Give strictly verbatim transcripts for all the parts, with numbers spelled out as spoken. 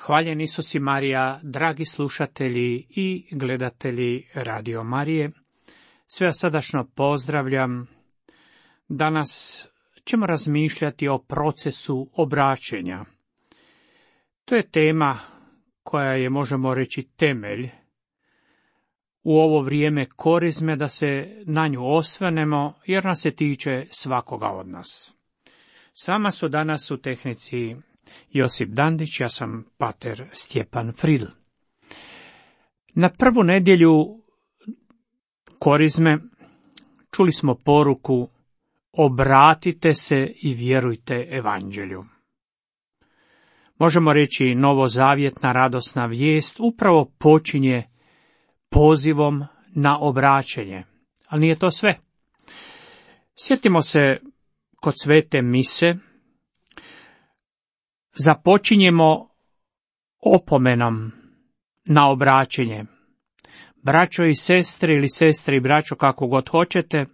Hvaljen Isus i Marija, dragi slušatelji i gledatelji Radio Marije. Sve vas srdačno pozdravljam. Danas ćemo razmišljati o procesu obraćenja. To je tema koja je, možemo reći, temelj u ovo vrijeme korizme, da se na nju osvrnemo, jer nas se tiče svakoga od nas. S vama su danas u tehnici Josip Dandić, ja sam pater Stjepan Fridl. Na prvu nedjelju korizme čuli smo poruku: obratite se i vjerujte evanđelju. Možemo reći, novozavjetna radosna vijest upravo počinje pozivom na obraćenje, ali nije to sve. Sjetimo se, kod svete mise započinjemo opomenom na obraćenje. Braćo i sestre, ili sestre i braćo, kako god hoćete,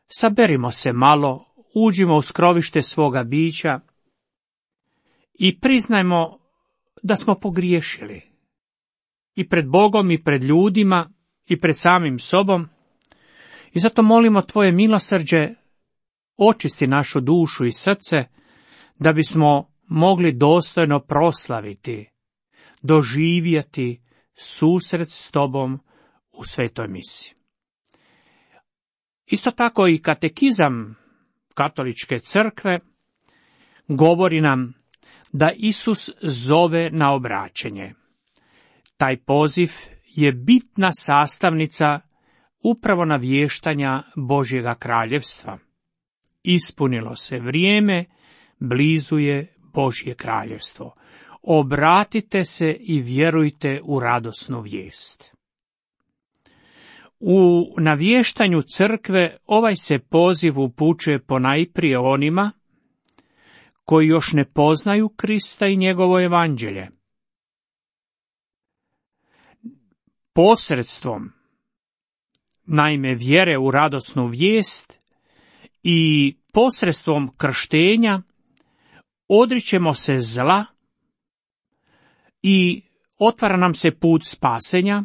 saberimo se malo, uđimo u skrovište svoga bića i priznajmo da smo pogriješili. I pred Bogom, i pred ljudima, i pred samim sobom. I zato molimo tvoje milosrđe, očisti našu dušu i srce, da bismo mogli dostojno proslaviti, doživjeti susret s tobom u svetoj misi. Isto tako i katekizam katoličke crkve govori nam da Isus zove na obraćenje. Taj poziv je bitna sastavnica upravo navještanja Božjega kraljevstva. Ispunilo se vrijeme, blizu je Božje kraljevstvo. Obratite se i vjerujte u radosnu vijest. U navještanju crkve ovaj se poziv upućuje ponajprije onima koji još ne poznaju Krista i njegovo evanđelje. Posredstvom, naime, vjere u radosnu vijest i posredstvom krštenja odričemo se zla i otvara nam se put spasenja,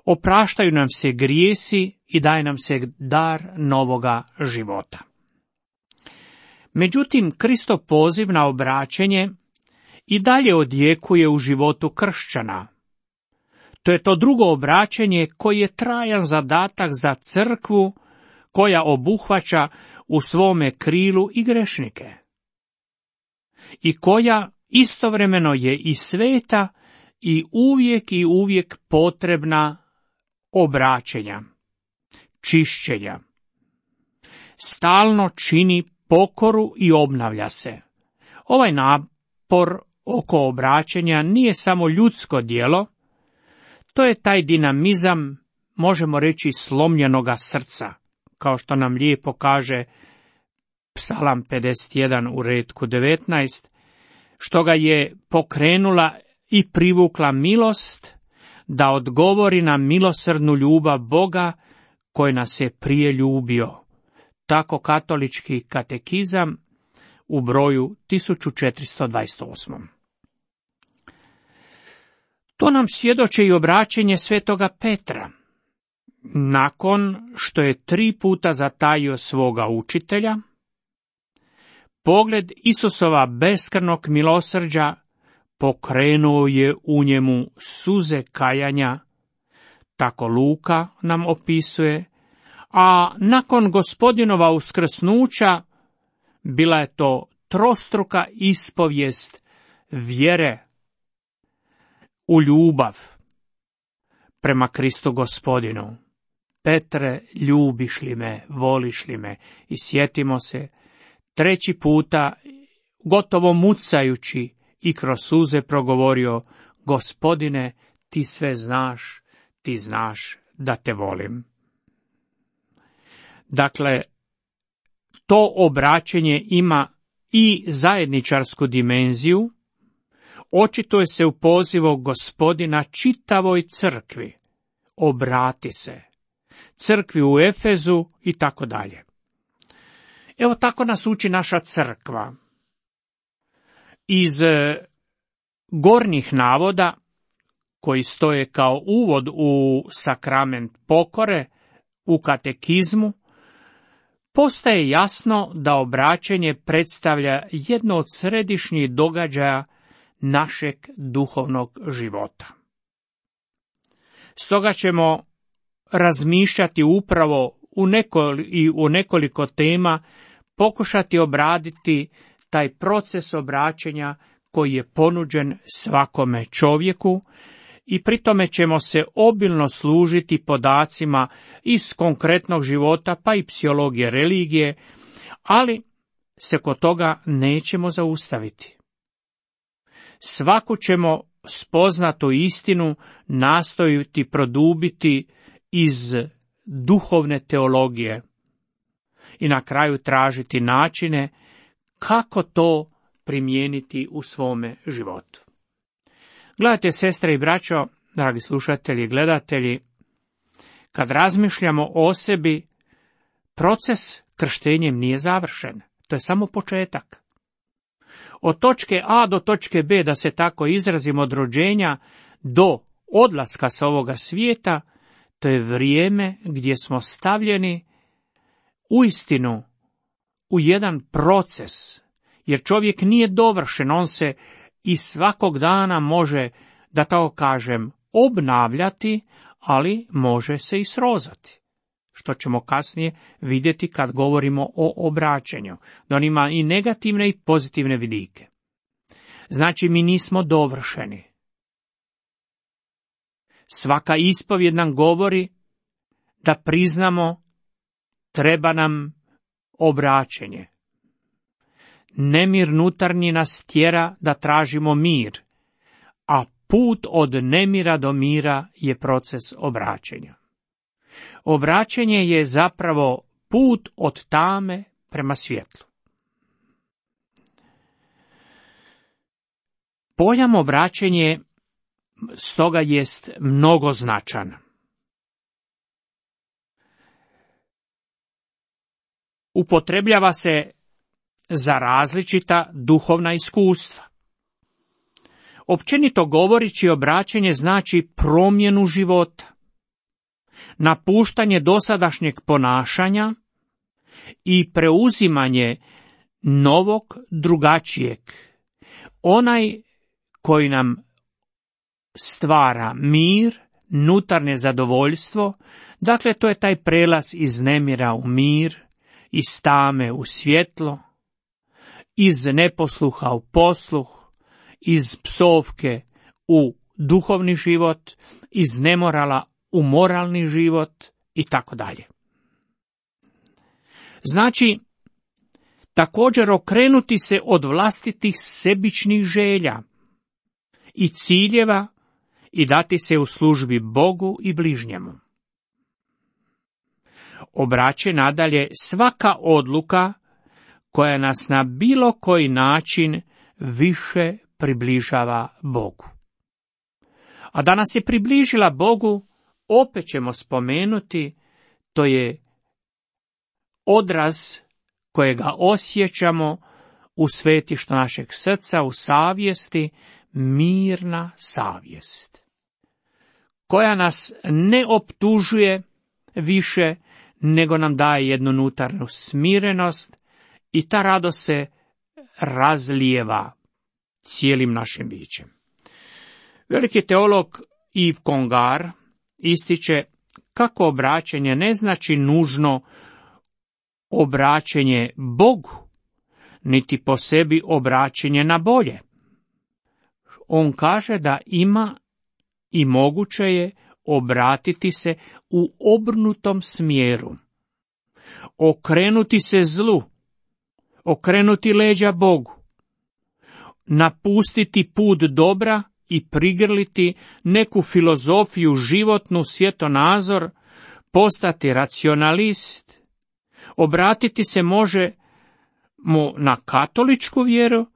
opraštaju nam se grijesi i daje nam se dar novoga života. Međutim, Kristov poziv na obraćenje i dalje odjekuje u životu kršćana. To je to drugo obraćenje koji je trajan zadatak za crkvu, koja obuhvaća u svome krilu i grešnike, i koja istovremeno je i sveta i uvijek i uvijek potrebna obraćenja, čišćenja. Stalno čini pokoru i obnavlja se. Ovaj napor oko obraćenja nije samo ljudsko djelo, to je taj dinamizam, možemo reći, slomljenoga srca, kao što nam lijepo kaže Psalam pedeset jedan u retku devetnaest, što ga je pokrenula i privukla milost, da odgovori na milosrdnu ljubav Boga koji nas je prije ljubio. Tako katolički katekizam u broju tisuću četiristo dvadeset osam. To nam svjedoči i obraćenje svetoga Petra. Nakon što je tri puta zatajio svoga učitelja, pogled Isusova beskrvnog milosrđa pokrenuo je u njemu suze kajanja, tako Luka nam opisuje, a nakon Gospodinova uskrsnuća bila je to trostruka ispovijest vjere u ljubav prema Kristu Gospodinu. Petre, ljubiš li me, voliš li me? I sjetimo se, treći puta, gotovo mucajući i kroz suze progovorio: Gospodine, ti sve znaš, ti znaš da te volim. Dakle, to obraćenje ima i zajedničarsku dimenziju, očituje se u pozivu Gospodina čitavoj crkvi: obrati se, crkvi u Efezu i tako dalje. Evo tako nas uči naša crkva. Iz gornjih navoda, koji stoje kao uvod u sakrament pokore, u katekizmu, postaje jasno da obraćanje predstavlja jedno od središnjih događaja našeg duhovnog života. Stoga ćemo razmišljati upravo u nekoliko, i u nekoliko tema, pokušati obraditi taj proces obraćanja koji je ponuđen svakome čovjeku, i pri tome ćemo se obilno služiti podacima iz konkretnog života, pa i psihologije religije, ali se kod toga nećemo zaustaviti. Svaku ćemo spoznatu istinu nastojiti produbiti iz duhovne teologije i na kraju tražiti načine kako to primijeniti u svome životu. Gledajte, sestre i braćo, dragi slušatelji i gledatelji, kad razmišljamo o sebi, proces krštenjem nije završen. To je samo početak. Od točke A do točke B, da se tako izrazim, od rođenja do odlaska sa ovoga svijeta, to je vrijeme gdje smo stavljeni uistinu u jedan proces, jer čovjek nije dovršen, on se i svakog dana može, da tako kažem, obnavljati, ali može se i srozati, što ćemo kasnije vidjeti kad govorimo o obraćanju, da on ima i negativne i pozitivne vidike. Znači, mi nismo dovršeni. Svaka ispovjed nam govori da priznamo treba nam obraćenje. Nemir nutarnji nas tjera da tražimo mir, a put od nemira do mira je proces obraćenja. Obraćenje je zapravo put od tame prema svjetlu. Pojam obraćenje stoga jest mnogoznačan. Upotrebljava se za različita duhovna iskustva. Općenito govoreći, obraćenje znači promjenu života, napuštanje dosadašnjeg ponašanja i preuzimanje novog, drugačijeg, onaj koji nam stvara mir, nutarnje zadovoljstvo. Dakle, to je taj prelaz iz nemira u mir, iz tame u svjetlo, iz neposluha u posluh, iz psovke u duhovni život, iz nemorala u moralni život i tako dalje. Znači, također okrenuti se od vlastitih sebičnih želja i ciljeva i dati se u službi Bogu i bližnjemu. Obraće nadalje svaka odluka koja nas na bilo koji način više približava Bogu. A da nas je približila Bogu, opet ćemo spomenuti, to je odraz kojega osjećamo u svetištu našeg srca, u savjesti, mirna savjest, koja nas ne optužuje više, nego nam daje jednu unutarnju smirenost i ta radost se razlijeva cijelim našim bićem. Veliki teolog Yves Congar ističe kako obraćanje ne znači nužno obraćanje Bogu, niti po sebi obraćanje na bolje. On kaže da ima i moguće je obratiti se u obrnutom smjeru, okrenuti se zlu, okrenuti leđa Bogu, napustiti put dobra i prigrliti neku filozofiju, životnu, svjetonazor, postati racionalist. Obratiti se može mu na katoličku vjeru,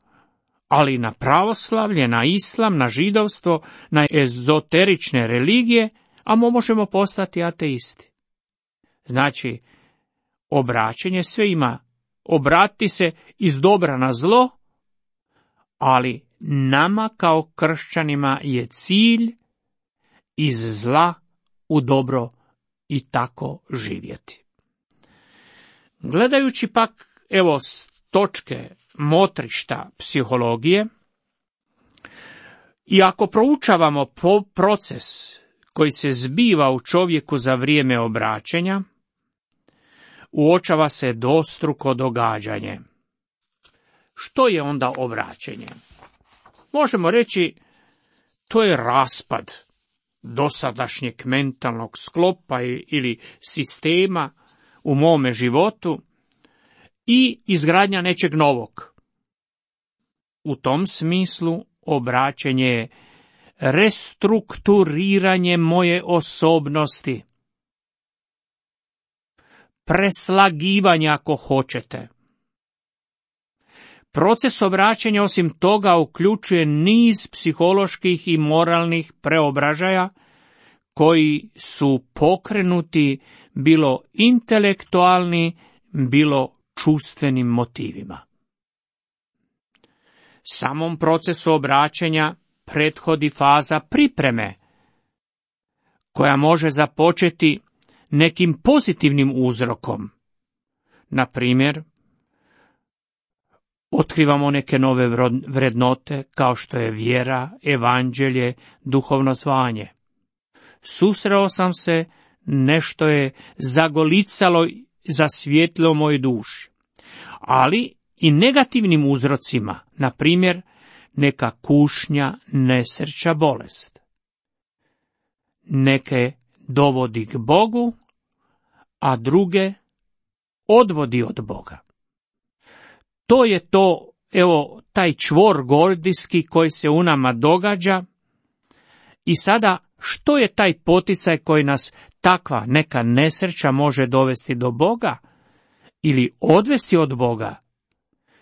ali i na pravoslavlje, na islam, na židovstvo, na ezoterične religije, a možemo postati ateisti. Znači, obraćanje sve ima. Obratiti se iz dobra na zlo, ali nama kao kršćanima je cilj iz zla u dobro i tako živjeti. Gledajući pak, evo, s točke motrišta psihologije, i ako proučavamo po proces koji se zbiva u čovjeku za vrijeme obraćanja, uočava se dvostruko događanje. Što je onda obraćenje? Možemo reći, to je raspad dosadašnjeg mentalnog sklopa ili sistema u mome životu i izgradnja nečeg novog. U tom smislu obraćenje je restrukturiranje moje osobnosti, preslagivanje ako hoćete. Proces obraćanja osim toga uključuje niz psiholoških i moralnih preobražaja koji su pokrenuti bilo intelektualni, bilo čustvenim motivima. Samom procesu obraćanja prethodi faza pripreme, koja može započeti nekim pozitivnim uzrokom. Na primjer, otkrivamo neke nove vrednote kao što je vjera, evanđelje, duhovno zvanje. Susreo sam se, nešto je zagolicalo, zasvijetlilo moj duši. Ali i negativnim uzrocima, na primjer, neka kušnja, nesreća, bolest. Neke dovodi k Bogu, a druge odvodi od Boga. To je to, evo, taj čvor gordijski koji se u nama događa. I sada, što je taj poticaj koji nas takva neka nesreća može dovesti do Boga ili odvesti od Boga?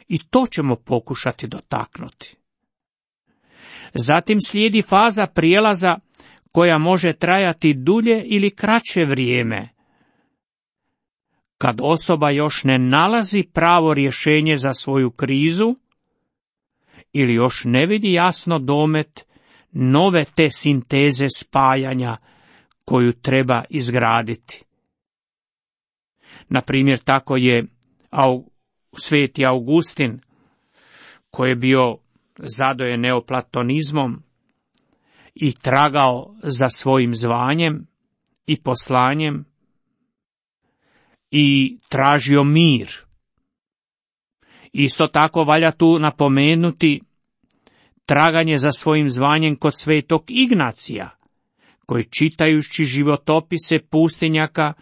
I to ćemo pokušati dotaknuti. Zatim slijedi faza prijelaza koja može trajati dulje ili kraće vrijeme, kad osoba još ne nalazi pravo rješenje za svoju krizu ili još ne vidi jasno domet nove te sinteze spajanja koju treba izgraditi. Na primjer, tako je sveti Augustin, koji je bio zadojen neoplatonizmom i tragao za svojim zvanjem i poslanjem i tražio mir. Isto tako valja tu napomenuti traganje za svojim zvanjem kod svetog Ignacija, koji čitajući životopise pustinjaka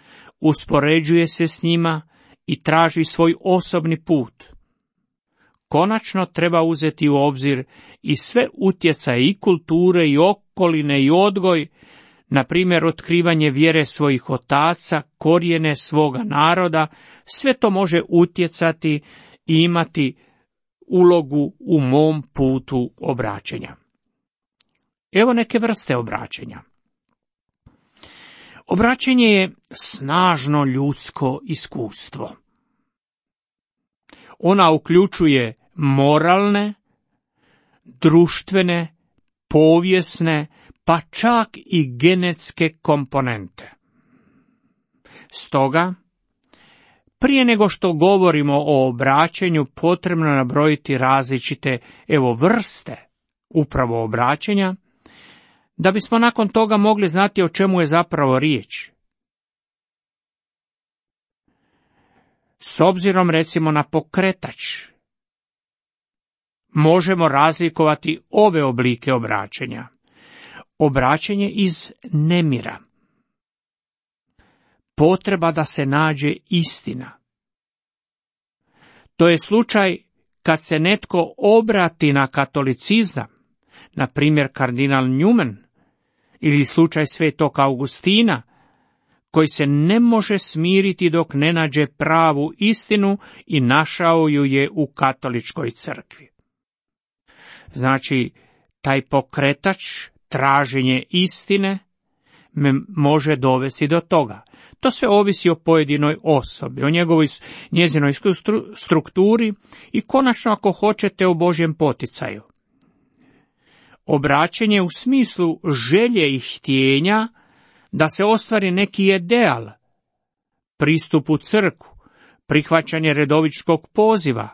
uspoređuje se s njima i traži svoj osobni put. Konačno treba uzeti u obzir i sve utjecaje i kulture i okoline i odgoj, na primjer otkrivanje vjere svojih otaca, korijene svoga naroda, sve to može utjecati i imati ulogu u mom putu obraćenja. Evo neke vrste obraćenja. Obraćenje je snažno ljudsko iskustvo. Ona uključuje moralne, društvene, povijesne, pa čak i genetske komponente. Stoga, prije nego što govorimo o obraćanju, potrebno je nabrojiti različite, evo, vrste upravo obraćanja, da bismo nakon toga mogli znati o čemu je zapravo riječ. S obzirom recimo na pokretač, možemo razlikovati ove oblike obraćanja. Obraćanje iz nemira. Potreba da se nađe istina. To je slučaj kad se netko obrati na katolicizam, na primjer kardinal Newman, ili slučaj svetog Augustina, koji se ne može smiriti dok ne nađe pravu istinu i našao ju je u katoličkoj crkvi. Znači, taj pokretač, traženje istine, me može dovesti do toga. To sve ovisi o pojedinoj osobi, o njegovoj, njezinoj strukturi i konačno, ako hoćete, o Božjem poticaju. obraćenje u smislu želje i htjenja da se ostvari neki ideal, pristup u crkvu, prihvaćanje redovičkog poziva,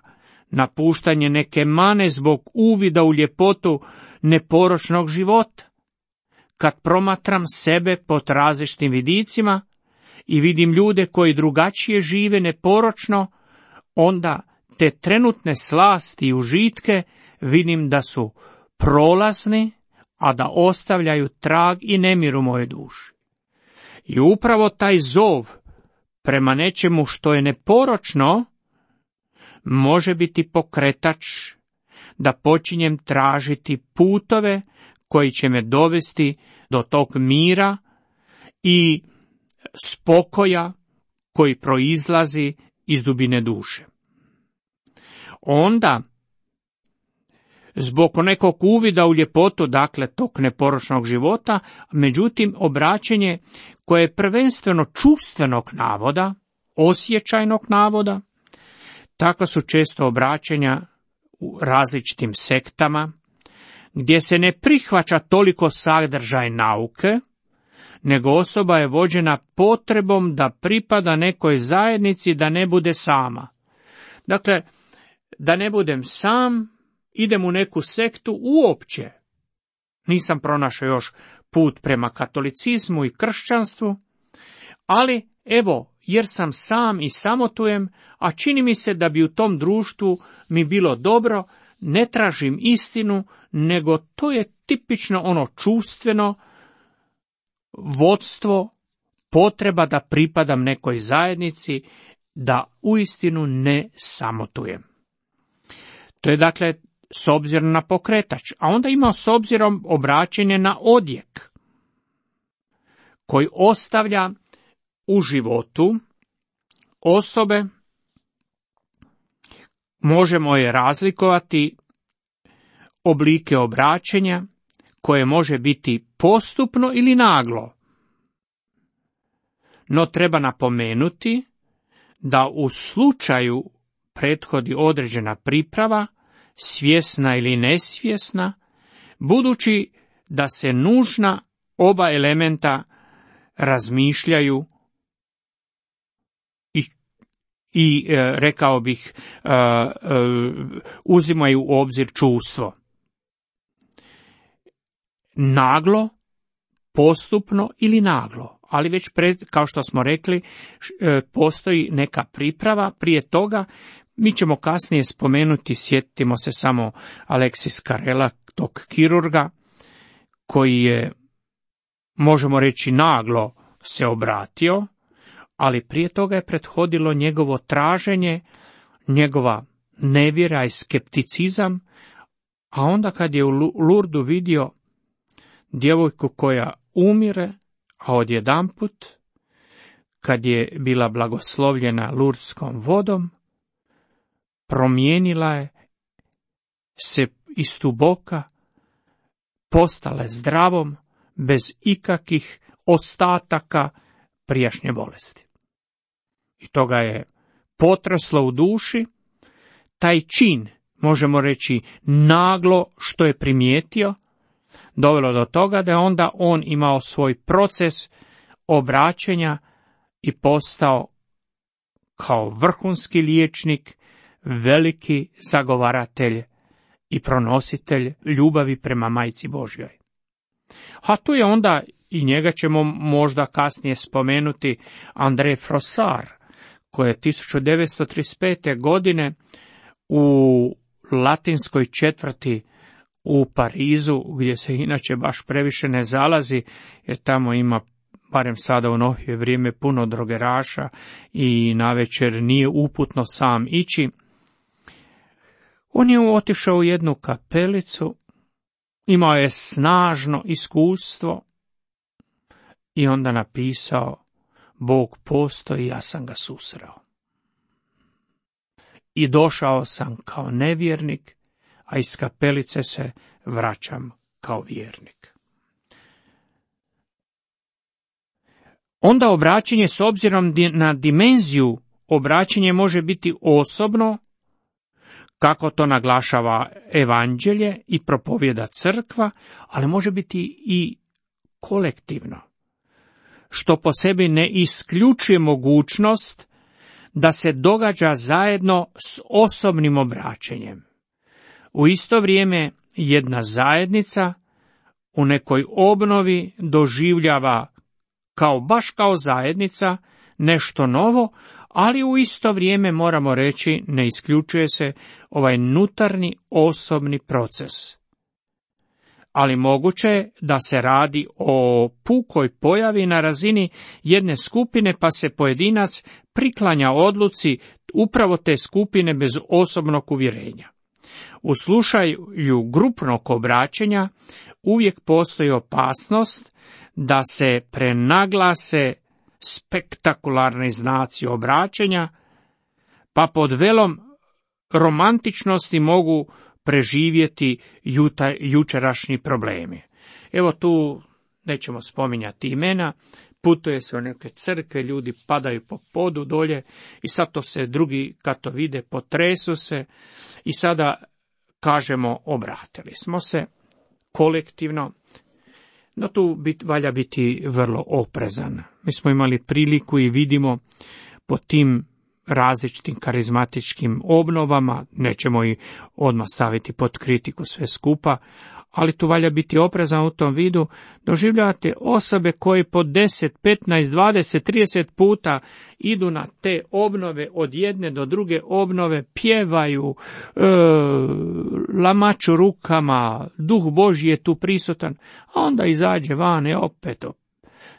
napuštanje neke mane zbog uvida u ljepotu neporočnog života. Kad promatram sebe pod različitim vidicima i vidim ljude koji drugačije žive neporočno, onda te trenutne slasti i užitke vidim da su prolazni, a da ostavljaju trag i nemir u moje duši. I upravo taj zov prema nečemu što je neporočno može biti pokretač da počinjem tražiti putove koji će me dovesti do tog mira i spokoja koji proizlazi iz dubine duše. Onda, zbog nekog uvida u ljepotu, dakle, tog neporočnog života, međutim, obraćenje koje je prvenstveno čuvstvenog navoda, osjećajnog navoda, tako su često obraćanja u različitim sektama, gdje se ne prihvaća toliko sadržaj nauke, nego osoba je vođena potrebom da pripada nekoj zajednici, da ne bude sama. Dakle, da ne budem sam, idem u neku sektu uopće. Nisam pronašao još put prema katolicizmu i kršćanstvu, ali evo, jer sam sam i samotujem, a čini mi se da bi u tom društvu mi bilo dobro, ne tražim istinu, nego to je tipično ono čuvstveno vodstvo, potreba da pripadam nekoj zajednici, da uistinu ne samotujem. To je dakle s obzirom na pokretač, a onda ima s obzirom obraćanje na odjek, koji ostavlja u životu osobe, možemo je razlikovati oblike obraćanja, koje može biti postupno ili naglo. No treba napomenuti da u slučaju prethodi određena priprava, svjesna ili nesvjesna, budući da se nužna oba elementa razmišljaju i, i e, rekao bih, e, e, uzimaju u obzir čuvstvo. Naglo, postupno ili naglo, ali već pred, kao što smo rekli, postoji neka priprava prije toga. Mi ćemo kasnije spomenuti, sjetimo se samo Aleksis Carrela, tog kirurga, koji je, možemo reći, naglo se obratio, ali prije toga je prethodilo njegovo traženje, njegova nevjera i skepticizam, a onda kad je u Lurdu vidio djevojku koja umire, a odjedanput, kad je bila blagoslovljena lurdskom vodom, promijenila je se iz tuboka, postala je zdravom, bez ikakvih ostataka prijašnje bolesti. I toga je potreslo u duši. Taj čin, možemo reći naglo što je primijetio, dovelo do toga da je onda on imao svoj proces obraćanja i postao kao vrhunski liječnik, veliki zagovaratelj i pronositelj ljubavi prema Majci Božjoj. A tu je onda, i njega ćemo možda kasnije spomenuti, André Frossard, koji je tisuću devetsto trideset pete. godine u latinskoj četvrti u Parizu, gdje se inače baš previše ne zalazi, jer tamo ima, barem sada u novije vrijeme, puno drogeraša i navečer nije uputno sam ići. On je otišao u jednu kapelicu, imao je snažno iskustvo i onda napisao: Bog postoji, ja sam ga susreo. I došao sam kao nevjernik, a iz kapelice se vraćam kao vjernik. Onda obraćanje s obzirom na dimenziju, obraćanje može biti osobno, kako to naglašava evanđelje i propovjeda crkva, ali može biti i kolektivno, što po sebi ne isključuje mogućnost da se događa zajedno s osobnim obraćanjem. U isto vrijeme jedna zajednica u nekoj obnovi doživljava kao baš kao zajednica nešto novo, ali u isto vrijeme moramo reći ne isključuje se ovaj unutarnji osobni proces. Ali moguće je da se radi o pukoj pojavi na razini jedne skupine, pa se pojedinac priklanja odluci upravo te skupine bez osobnog uvjerenja. U slučaju grupnog obraćanja uvijek postoji opasnost da se prenaglase spektakularni znaci obraćanja, pa pod velom romantičnosti mogu preživjeti juta, jučerašnji problemi. Evo tu nećemo spominjati imena, putuje se u neke crkve, ljudi padaju po podu dolje i sad to se drugi kad to vide potresu se i sada kažemo obratili smo se kolektivno. No tu bit, valja biti vrlo oprezan. Mi smo imali priliku i vidimo po tim različitim karizmatičkim obnovama, nećemo i odmah staviti pod kritiku sve skupa, ali tu valja biti oprezan u tom vidu. Doživljavate osobe koje po deset, petnaest, dvadeset, trideset puta idu na te obnove od jedne do druge obnove, pjevaju, e, lamaču rukama, duh Božji je tu prisutan, a onda izađe van i opet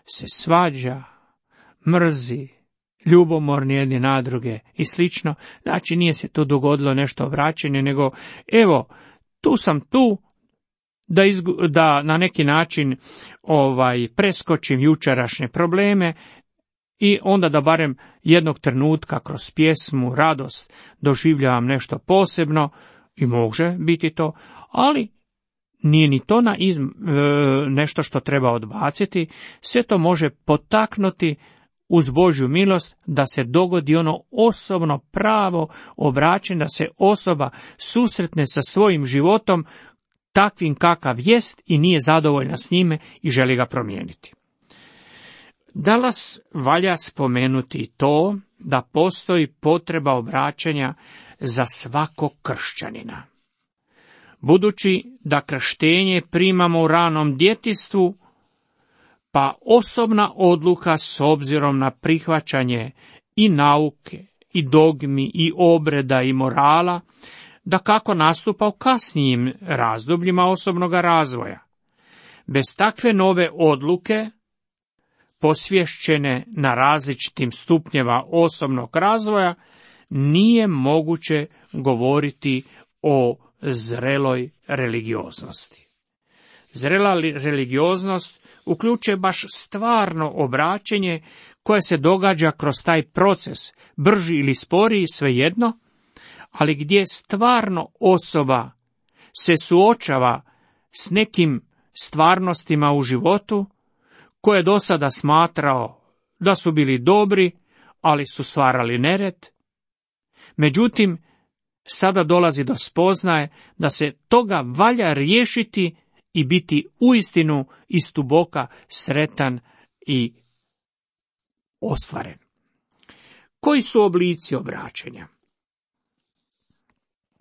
se svađa, mrzi, ljubomorni jedni na druge i slično. Znači nije se tu dogodilo nešto obraćanje, nego evo, tu sam tu, Da, izgu, da na neki način ovaj preskočim jučerašnje probleme i onda da barem jednog trenutka kroz pjesmu, radost doživljavam nešto posebno i može biti to, ali nije ni to na izm, e, nešto što treba odbaciti, sve to može potaknuti uz Božju milost da se dogodi ono osobno pravo obraćanje, da se osoba susretne sa svojim životom takvim kakav jest i nije zadovoljna s njime i želi ga promijeniti. Danas valja spomenuti to da postoji potreba obraćanja za svakog kršćanina. Budući da krštenje primamo u ranom djetinjstvu, pa osobna odluka s obzirom na prihvaćanje i nauke, i dogmi, i obreda, i morala, da kako nastupa u kasnijim razdobljima osobnog razvoja. Bez takve nove odluke, posvješćene na različitim stupnjeva osobnog razvoja, nije moguće govoriti o zreloj religioznosti. Zrela religioznost uključuje baš stvarno obraćenje koje se događa kroz taj proces, brži ili sporiji, svejedno, ali gdje stvarno osoba se suočava s nekim stvarnostima u životu koje je do sada smatrao da su bili dobri, ali su stvarali nered. Međutim, sada dolazi do spoznaje da se toga valja riješiti i biti uistinu istuboka sretan i ostvaren. Koji su oblici obraćanja?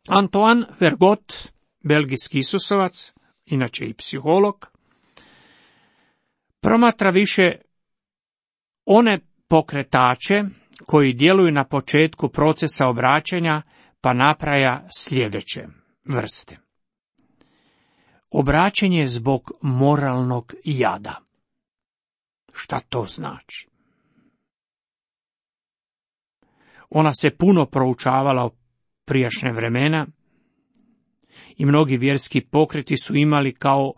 Antoine Vergot, belgijski Isusovac, inače i psiholog, promatra više one pokretače koji djeluju na početku procesa obraćanja, pa napraja sljedeće vrste. Obraćanje zbog moralnog jada. Šta to znači? Ona se puno proučavala u prijašnje vremena i mnogi vjerski pokreti su imali kao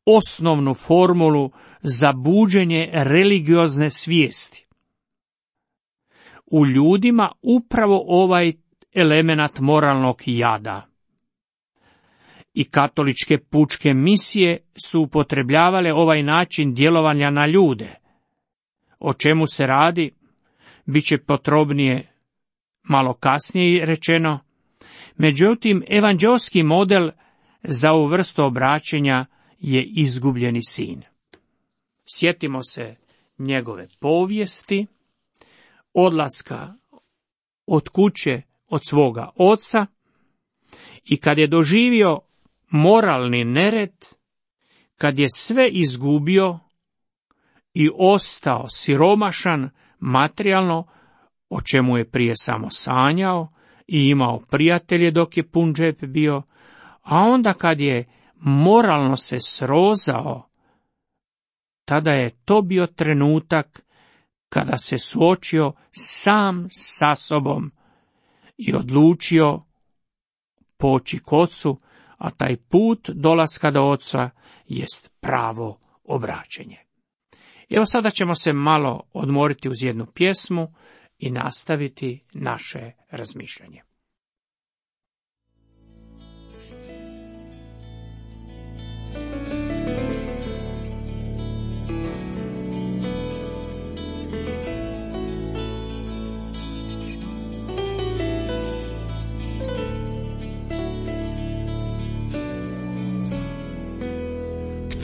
osnovnu formulu za buđenje religiozne svijesti. U ljudima upravo ovaj element moralnog jada. I katoličke pučke misije su upotrebljavale ovaj način djelovanja na ljude. O čemu se radi, bit će potrebnije malo kasnije rečeno, Međutim, evanđeoski model za ovu vrstu obraćenja je izgubljeni sin. Sjetimo se njegove povijesti, odlaska od kuće od svoga oca, i kad je doživio moralni nered, kad je sve izgubio i ostao siromašan materijalno, o čemu je prije samo sanjao i imao prijatelje dok je pun džep bio, a onda kad je moralno se srozao, tada je to bio trenutak kada se suočio sam sa sobom i odlučio poći k ocu, a taj put dolaska do oca jest pravo obraćenje. Evo sada ćemo se malo odmoriti uz jednu pjesmu i nastaviti naše razmišljanje.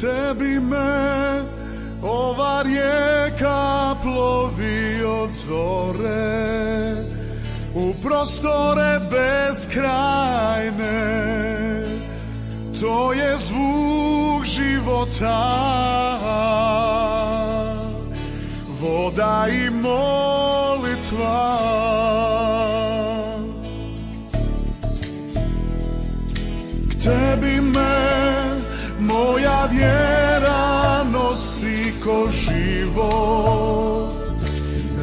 Tebi me ova rijeka plovi od zore u prostore beskrajne, to je zvuk života, voda i molitva. K tebi me moja vjera nosi ko život,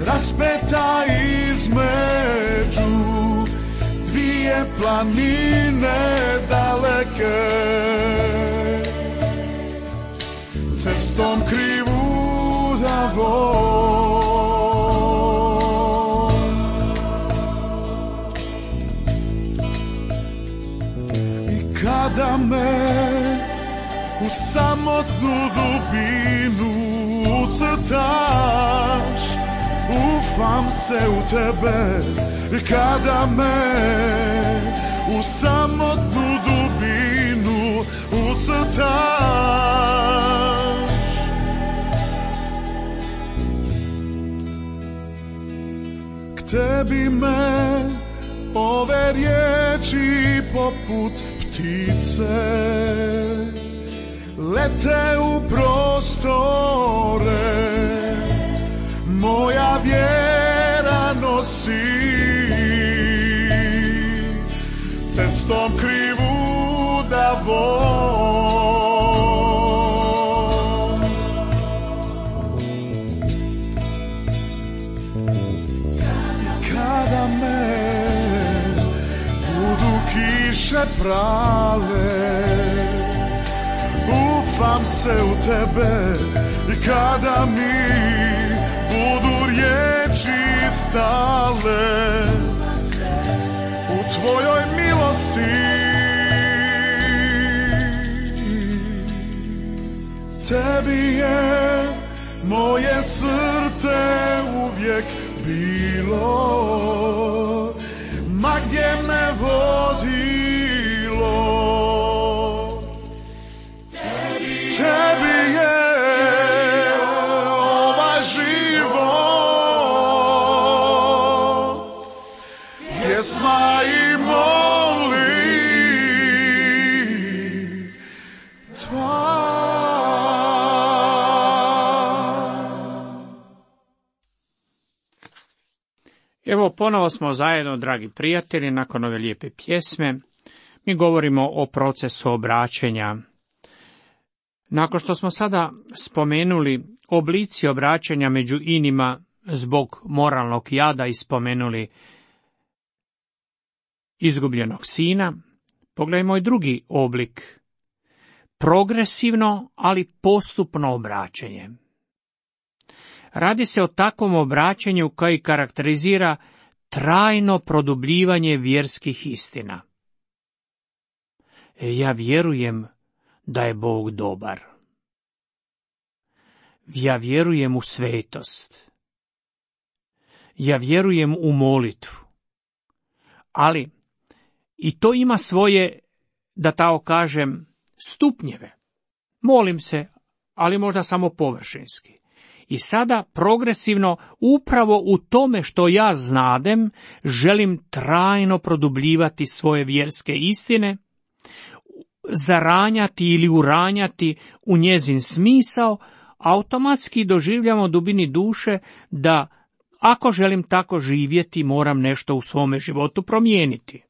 raspeta između dvije planine daleke, cestom krivudavom. I kada me u samotnu dubinu ucrtaš, ufam se u tebe. Kada me u samotnu dubinu ucrtaš, k tebi me ove riječi poput ptice lete u prostore, moja vjera nosi cestom krivudavom. Kada me budu kiše prale, ufam se u tebe. I kada mi budu riječi stale, u tvojoj milosti tebi je moje srce uvijek bilo, ma gdje me vodilo. Tebi je ovaj život, pjesma i molitva. Evo, ponovo smo zajedno, dragi prijatelji, nakon ove lijepe pjesme. Mi govorimo o procesu obraćenja. Nakon što smo sada spomenuli oblici obraćanja među inima zbog moralnog jada i spomenuli izgubljenog sina, pogledajmo i drugi oblik. Progresivno, ali postupno obraćenje. Radi se o takvom obraćanju koji karakterizira trajno produbljivanje vjerskih istina. Ja vjerujem da je Bog dobar. Ja vjerujem u svetost. Ja vjerujem u molitvu. Ali I to ima svoje, da tako kažem, stupnjeve. Molim se, ali možda samo površinski. I sada progresivno, upravo u tome što ja znadem, želim trajno produbljivati svoje vjerske istine, zaranjati ili uranjati u njezin smisao, automatski doživljamo dubini duše da ako želim tako živjeti, moram nešto u svome životu promijeniti.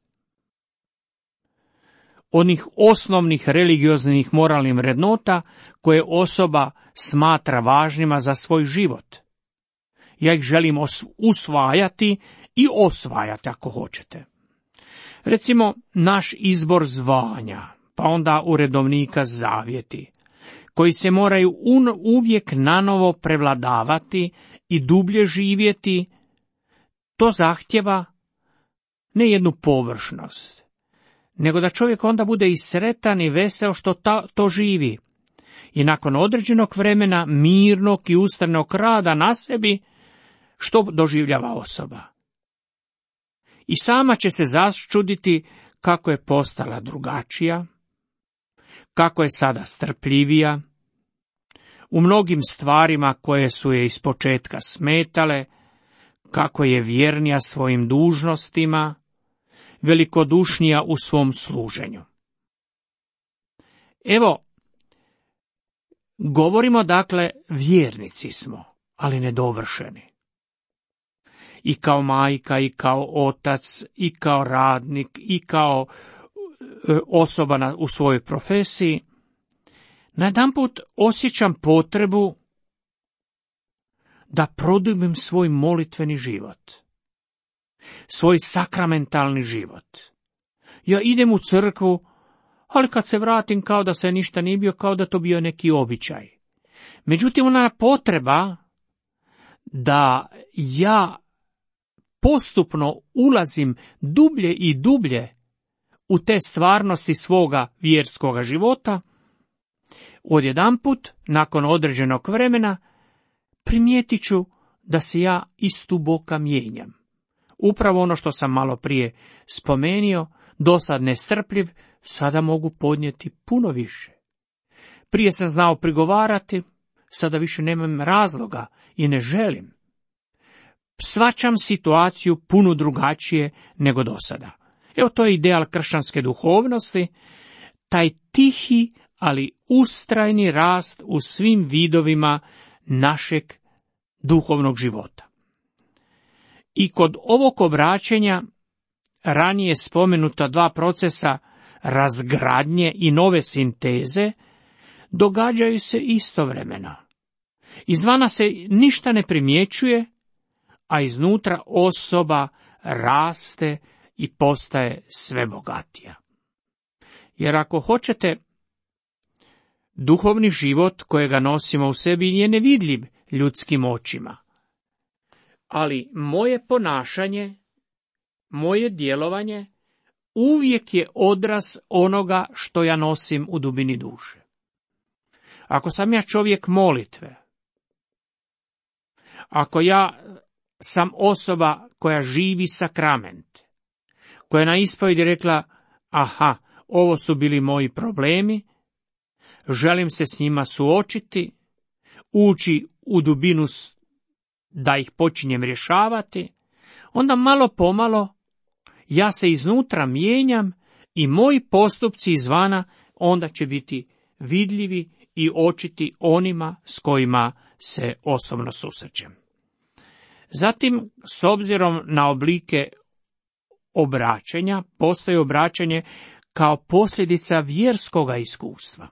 Onih osnovnih religioznih moralnih vrednota koje osoba smatra važnima za svoj život. Ja ih želim usvajati i osvajati ako hoćete. Recimo, naš izbor zvanja, pa onda u redovnika zavjeti, koji se moraju uvijek nanovo prevladavati i dublje živjeti, to zahtjeva ne jednu površnost, nego da čovjek onda bude i sretan i veseo što ta, to živi. I nakon određenog vremena mirnog i ustrajnog rada na sebi, što doživljava osoba. I sama će se začuditi kako je postala drugačija, kako je sada strpljivija, u mnogim stvarima koje su je ispočetka smetale, kako je vjernija svojim dužnostima, velikodušnija u svom služenju. Evo, govorimo dakle, vjernici smo, ali nedovršeni. I kao majka, i kao otac, i kao radnik, i kao osoba na, u svojoj profesiji, najedanput osjećam potrebu da produbim svoj molitveni život, svoj sakramentalni život. Ja idem u crkvu, ali kad se vratim kao da se ništa nije bio, kao da to bio neki običaj. Međutim, ona potreba da ja postupno ulazim dublje i dublje u te stvarnosti svoga vjerskoga života, odjedanput, nakon određenog vremena, primijetit ću da se ja istuboka mijenjam. Upravo ono što sam malo prije spomenio, dosad nestrpljiv, sada mogu podnijeti puno više. Prije sam znao prigovarati, sada više nemam razloga i ne želim. Shvaćam situaciju puno drugačije nego dosada. Evo, to je ideal kršćanske duhovnosti, taj tihi, ali ustrajni rast u svim vidovima našeg duhovnog života. I kod ovog obraćenja ranije spomenuta dva procesa razgradnje i nove sinteze događaju se istovremeno. Izvana se ništa ne primjećuje, a iznutra osoba raste i postaje sve bogatija. Jer ako hoćete, duhovni život kojega nosimo u sebi je nevidljiv ljudskim očima. Ali moje ponašanje, moje djelovanje uvijek je odraz onoga što ja nosim u dubini duše. Ako sam ja čovjek molitve, ako ja sam osoba koja živi sakrament, koja je na ispovjedi rekla, aha, ovo su bili moji problemi, želim se s njima suočiti, ući u dubinu da ih počinjem rješavati, onda malo pomalo ja se iznutra mijenjam i moji postupci izvana onda će biti vidljivi i očiti onima s kojima se osobno susrećem. Zatim, s obzirom na oblike obraćanja, postoji obraćanje kao posljedica vjerskoga iskustva.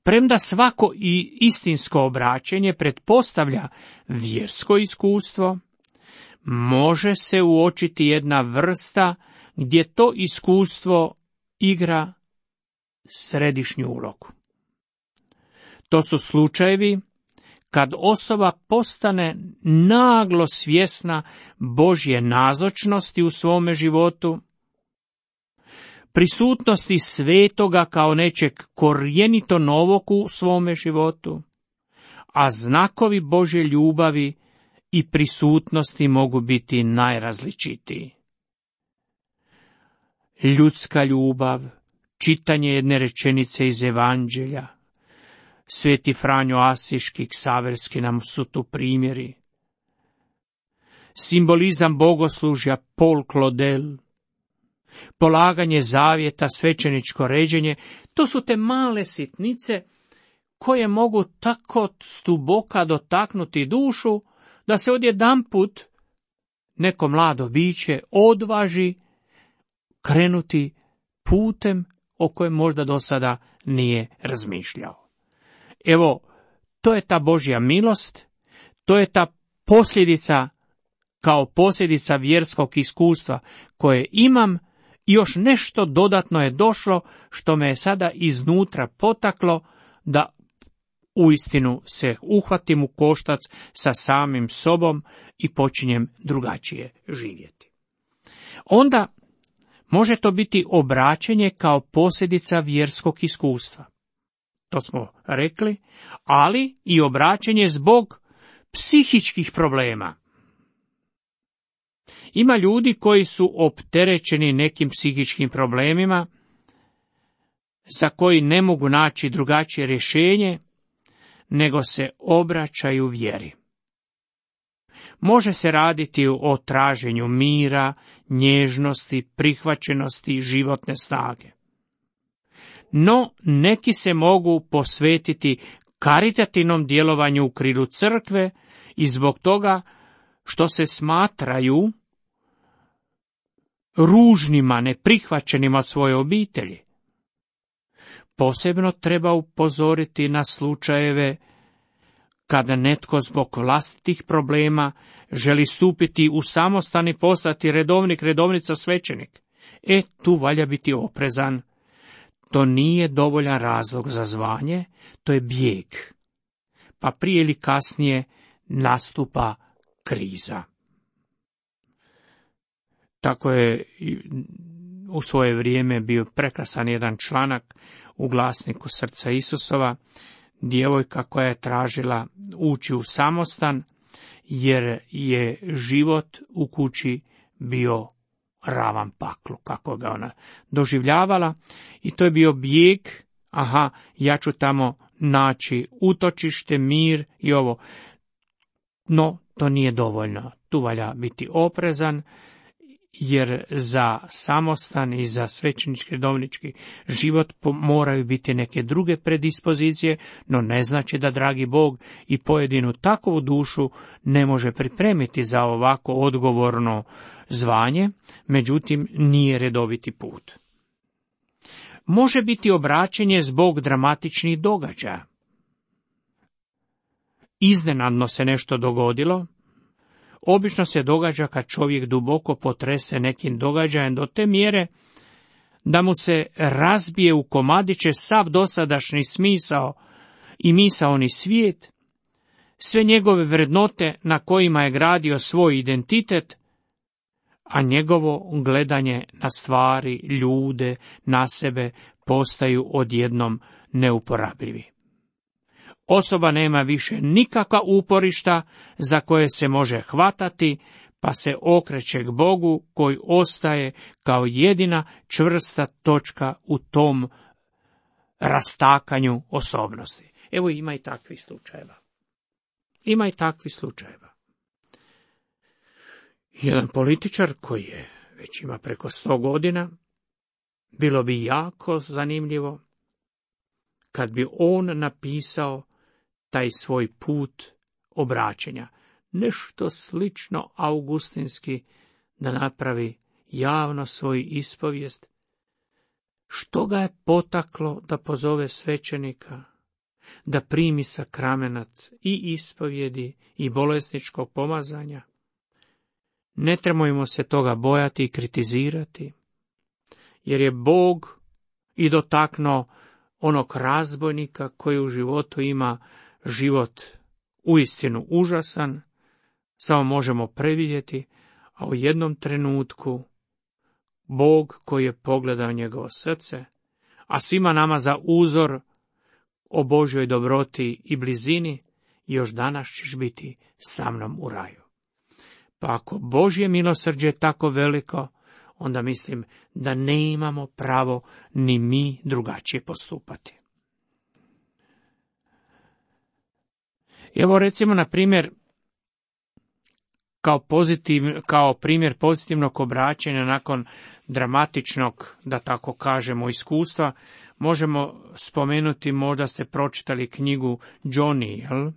Premda svako i istinsko obraćanje pretpostavlja vjersko iskustvo, može se uočiti jedna vrsta gdje to iskustvo igra središnju ulogu. To su slučajevi kad osoba postane naglo svjesna Božje nazočnosti u svome životu, prisutnosti svetoga kao nečeg korijenito novog u svome životu, a znakovi Božje ljubavi i prisutnosti mogu biti najrazličitiji. ljudska ljubav, čitanje jedne rečenice iz Evanđelja. Sveti Franjo Asiški, Ksaverski nam su tu primjeri. Simbolizam bogoslužja Paul Claudel, polaganje zavjeta, svećeničko ređenje, to su te male sitnice koje mogu tako stuboka dotaknuti dušu, da se odjedanput neko mlado biće odvaži krenuti putem o kojem možda do sada nije razmišljao. Evo, to je ta Božja milost, to je ta posljedica, kao posljedica vjerskog iskustva koje imam, i još nešto dodatno je došlo što me je sada iznutra potaklo da uistinu se uhvatim u koštac sa samim sobom i počinjem drugačije živjeti. Onda može to biti obraćenje kao posljedica vjerskog iskustva. To smo rekli, ali i obraćenje zbog psihičkih problema. Ima ljudi koji su opterećeni nekim psihičkim problemima, za koji ne mogu naći drugačije rješenje, nego se obraćaju vjeri. Može se raditi o traženju mira, nježnosti, prihvaćenosti, životne snage. No, neki se mogu posvetiti karitativnom djelovanju u krilu crkve i zbog toga što se smatraju ružnima, neprihvaćenima od svoje obitelji. Posebno treba upozoriti na slučajeve kada netko zbog vlastitih problema želi stupiti u samostan i postati redovnik, redovnica, svećenik. E, tu valja biti oprezan. To nije dovoljan razlog za zvanje, to je bijeg. Pa prije ili kasnije nastupa kriza. Tako je u svoje vrijeme bio prekrasan jedan članak u glasniku Srca Isusova, djevojka koja je tražila ući u samostan, jer je život u kući bio ravan paklu, kako ga ona doživljavala, i to je bio bijeg, aha, ja ću tamo naći utočište, mir i ovo. No, to nije dovoljno, tu valja biti oprezan, jer za samostan i za svećenički redovnički život moraju biti neke druge predispozicije, no ne znači da dragi Bog i pojedinu takovu dušu ne može pripremiti za ovako odgovorno zvanje, međutim nije redoviti put. Može biti obraćenje zbog dramatičnih događaja. Iznenadno se nešto dogodilo. Obično se događa kad čovjek duboko potrese nekim događajem do te mjere da mu se razbije u komadiće sav dosadašnji smisao i misaoni svijet, sve njegove vrednote na kojima je gradio svoj identitet, a njegovo gledanje na stvari, ljude, na sebe postaju odjednom neuporabljivi. Osoba nema više nikakva uporišta za koje se može hvatati, pa se okreće k Bogu koji ostaje kao jedina čvrsta točka u tom rastakanju osobnosti. Evo, ima i takvih slučajeva. Ima i takvih slučajeva. Jedan političar koji je već ima preko sto godina, bilo bi jako zanimljivo kad bi on napisao taj svoj put obraćenja, nešto slično augustinski, da napravi javno svoju ispovijest, što ga je potaklo da pozove svećenika, da primi sakramenat i ispovjedi i bolesničkog pomazanja. Ne trebojmo se toga bojati i kritizirati, jer je Bog i dotaknuo onog razbojnika koji u životu ima život uistinu užasan, samo možemo previdjeti, a u jednom trenutku Bog koji je pogledao njegovo srce, a svima nama za uzor o Božjoj dobroti i blizini, još danas ćeš biti sa mnom u raju. Pa ako Božje milosrđe je tako veliko, onda mislim da ne imamo pravo ni mi drugačije postupati. Evo recimo na primjer, kao, pozitiv, kao primjer pozitivnog obraćanja nakon dramatičnog, da tako kažemo, iskustva, možemo spomenuti, možda ste pročitali knjigu Johnny, jel?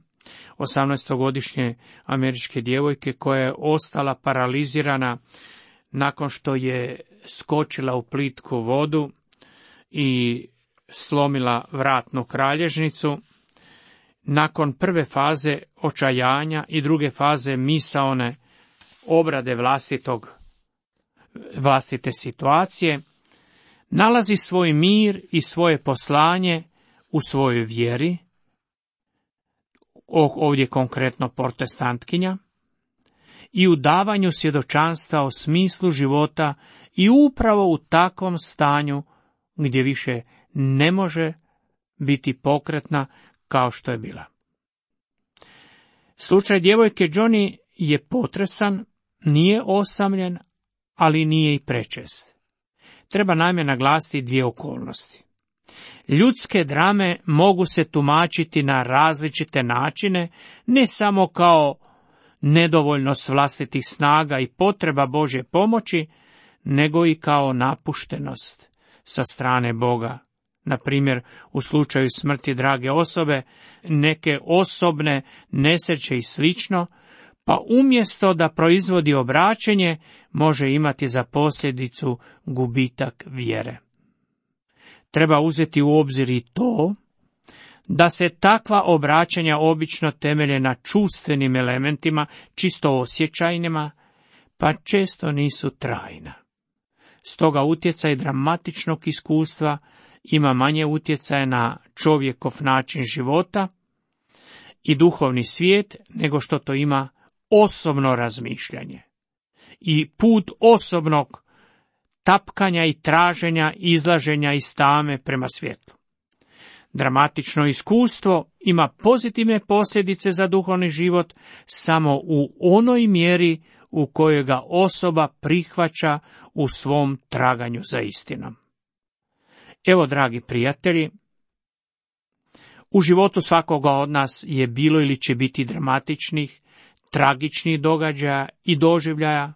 osamnaestogodišnje američke djevojke koja je ostala paralizirana nakon što je skočila u plitku vodu i slomila vratnu kralježnicu. Nakon prve faze očajanja i druge faze misaone obrade vlastitog, vlastite situacije, nalazi svoj mir i svoje poslanje u svojoj vjeri, ovdje konkretno protestantkinja, i u davanju svjedočanstva o smislu života i upravo u takvom stanju gdje više ne može biti pokretna kao što je bila. Slučaj djevojke Johnny je potresan, nije osamljen, ali nije i prečest. Treba naime naglasiti dvije okolnosti. Ljudske drame mogu se tumačiti na različite načine, ne samo kao nedovoljnost vlastitih snaga i potreba Božje pomoći, nego i kao napuštenost sa strane Boga. Na primjer, u slučaju smrti drage osobe, neke osobne nesreće i slično, pa umjesto da proizvodi obraćenje, može imati za posljedicu gubitak vjere. Treba uzeti u obzir i to da se takva obraćanja obično temelje na čustvenim elementima, čisto osjećajnima, pa često nisu trajna. Stoga utjecaj dramatičnog iskustva ima manje utjecaja na čovjekov način života i duhovni svijet nego što to ima osobno razmišljanje i put osobnog tapkanja i traženja, izlaženja iz tame prema svjetlu. Dramatično iskustvo ima pozitivne posljedice za duhovni život samo u onoj mjeri u kojoj ga osoba prihvaća u svom traganju za istinom. Evo, dragi prijatelji, u životu svakoga od nas je bilo ili će biti dramatičnih, tragičnih događaja i doživljaja.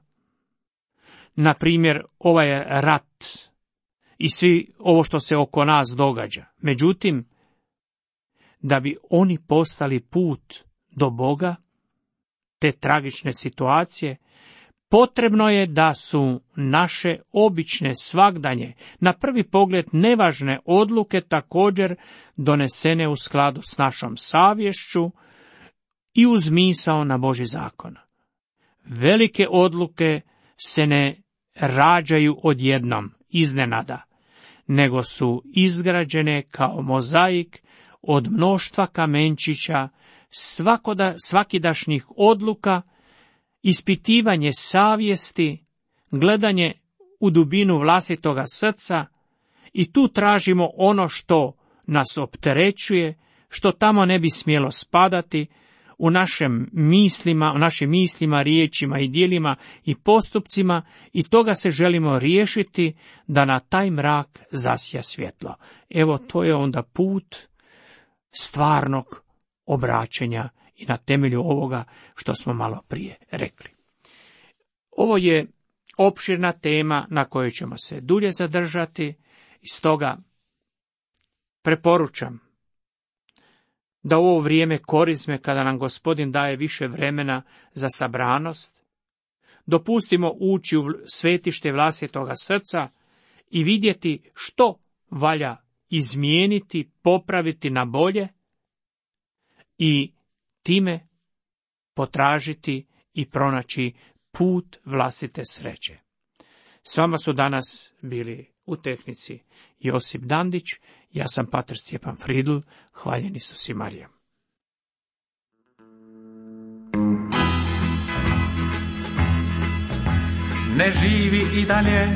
Na primjer, ovaj rat i svi ovo što se oko nas događa. Međutim, da bi oni postali put do Boga, te tragične situacije, potrebno je da su naše obične svagdanje, na prvi pogled nevažne odluke također donesene u skladu s našom savješću i uz misao na Božji zakon. Velike odluke se ne rađaju odjednom, iznenada, nego su izgrađene kao mozaik od mnoštva kamenčića, svakoda, svakidašnjih odluka, ispitivanje savjesti, gledanje u dubinu vlastitoga srca, i tu tražimo ono što nas opterećuje, što tamo ne bi smjelo spadati, u našim mislima, u našim mislima, riječima i djelima i postupcima, i toga se želimo riješiti da na taj mrak zasja svjetlo. Evo, to je onda put stvarnog obraćenja i na temelju ovoga što smo malo prije rekli. Ovo je opširna tema na kojoj ćemo se dulje zadržati, i stoga preporučam da u ovo vrijeme korizme, kada nam Gospodin daje više vremena za sabranost, dopustimo ući u svetište vlastitoga srca i vidjeti što valja izmijeniti, popraviti na bolje i time potražiti i pronaći put vlastite sreće. S vama su danas bili u tehnici Josip Dandić, ja sam pater Stjepan Fridl, hvaljeni Isus i Marija. Ne živi i dalje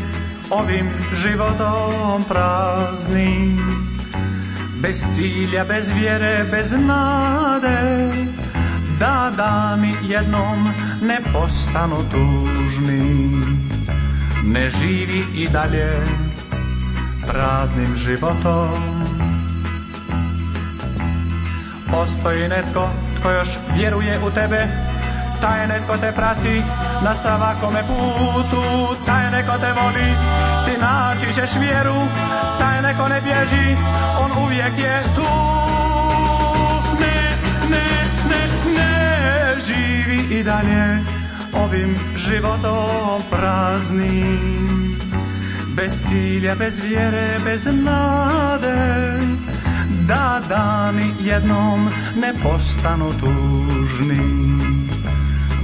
ovim životom praznim, bez cilja, bez vjere, bez nade, da dani jednom ne postanu tužni. Ne živi i dalje praznim životom. Postoji netko tko još vjeruje u tebe, taj netko te prati na svakome putu, taj neko te voli, ti naći ćeš vjeru, taj neko ne bježi, on uvijek je tu. Ne, ne, ne, ne živi i dalje ovim životom praznim, bez cilja, bez vjere, bez nade, da dani jednom ne postanu tužni.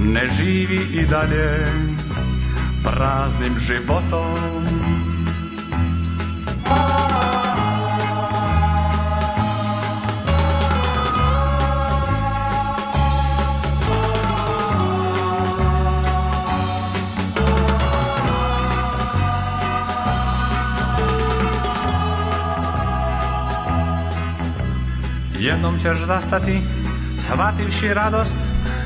Ne živi i dalje praznim životom. Jednom ćeš zastati, shvativši radost,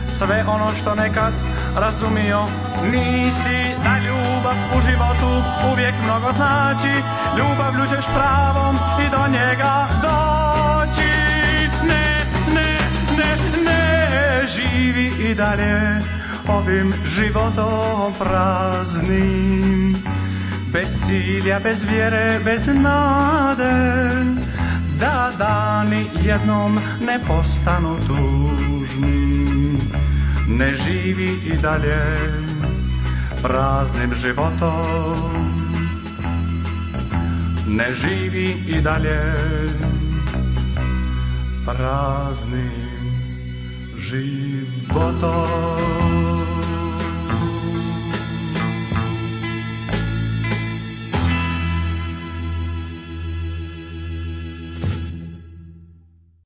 sve ono što nekad razumio nisi, da ljubav u životu uvijek mnogo znači, ljubavlju ćeš pravom i do njega doći. Ne, ne, ne, ne živi i dalje ovim životom praznim, bez cilja, bez vjere, bez nade, da dani jednom ne postanu tužni. Ne živi i dalje praznim životom. Ne živi i dalje praznim životom.